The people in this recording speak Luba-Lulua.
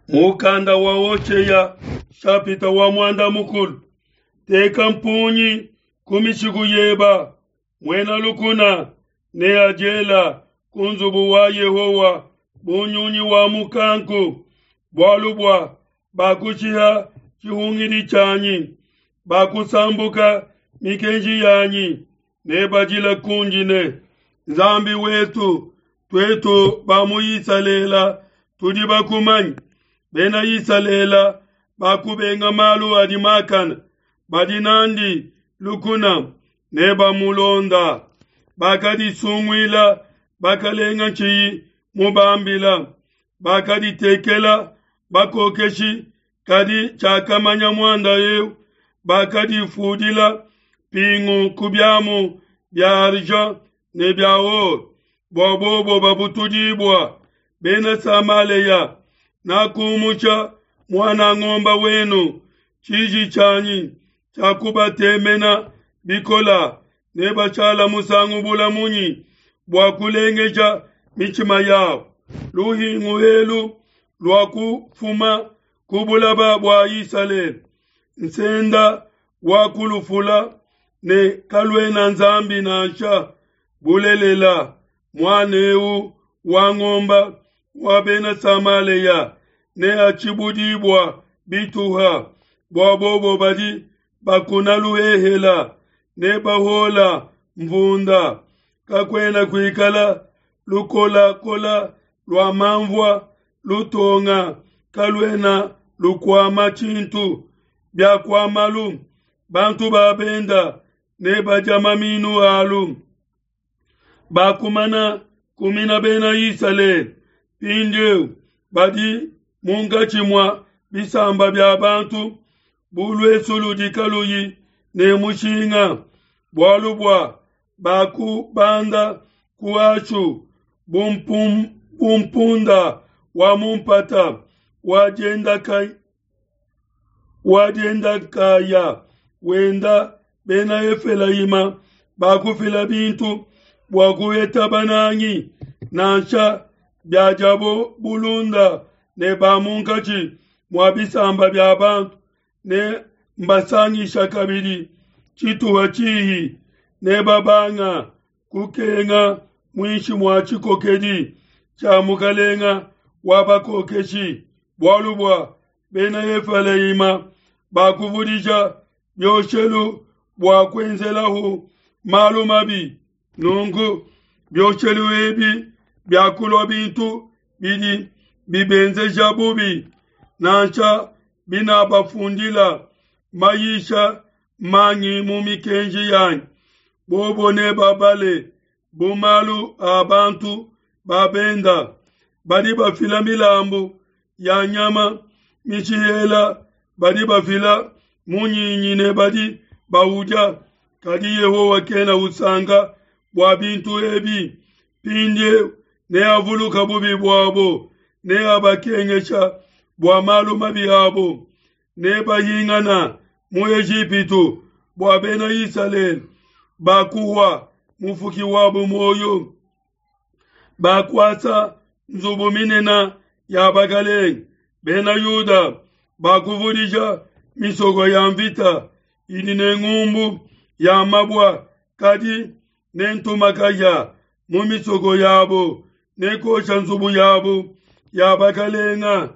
Mukanda wa Hoshea shapita wa muanda mukulu. Teka mpungi ku mishiku yeba, muena lukuna neadiela ku nzubu wa Yehowa bu nyunyi wa mukanku, bualu bua bakushiha tshihungidi tshianyi, bakusambuka mikenji yanyi, nebadila kundi ne, Nzambi wetu, tuetu ba mu Isalele tudi bakumanye. Bena Isalele bakubenga malu adi makane, badi nandi lukuna nebamulonda. Bakadisunguila bakalenga tshiyi mubambila, bakaditekela bakokeshi, kadi tshiakamanya muanda eu. Bakadifudila mpingu ku biamu bia argent ne bia or, bua bobo babutudibua. Bena Samalea, nakumusha muana ngomba wenu, tshiji tshianyi tshiakubatemena bikola. Nebashala musangu bula munyi bua kulengeja mitshima yabo? Luhingu elu luakufuma ku bulaba bua Isalele, nsenda wakulufula ne kaluena Nzambi nansha. Bulelela, muana eu wa ngomba wa Bena Samalea neatshibudibua bituha, bua bobo badi bakuna luhehela ne bahola mvunda. Kakuena kuikala lukolakola lua manvua, lutonga kaluena lukuama tshintu. Biakuamalu, bantu ba benda nebadia maminu alu. Bakumana kumina Bena Isalele, mpindieu badi munkatshi mua bisamba bia bantu bu luesu ludi kaluyi ne mushinga, bualu bua bakubanda ku Ashu bu mpunda wa mu mpata wa diendakaya wenda. Bena Efelayima bakufila bintu bua kuheta banangi, nansha biadiabo bulunda ne ba munkatshi mua bisamba bia bantu, ne mbasangisha kabidi tshituha tshihi, ne babanga kukenga muinshi mua tshikokedi tshia mukalenga wa bakokeshi, bualu bua Bena Efelayima bakuvudija bioshelu bua kuenzelahu malu mabi. Nunku bioshelu ebi biakulua bintu bidi bibenzeja bubi, nansha binabafundila mayisha mangi mu mikenji yanyi, bobo nebabale bu malu a bantu ba benda. Badi bafila milambu ya nyama mishihela, badi bafila munyinyi ne badi baudia, kadi Yehowa kena usanka bua bintu ebi. Mpindieu neavuluka bubi buabo, neabakengesha bua malu mabi abo. Nebahingana mu Ejipitu bua Bena Isalele bakuhua mufuki wabo muoyo, bakuasa nzubu minene ya bakalenge. Bena Yuda bakuvudija misoko ya mvita idi ne ngumbu ya mabua, kadi nentuma kahia mu misoko yabo, nekosha nzubu yabo ya bakalenga.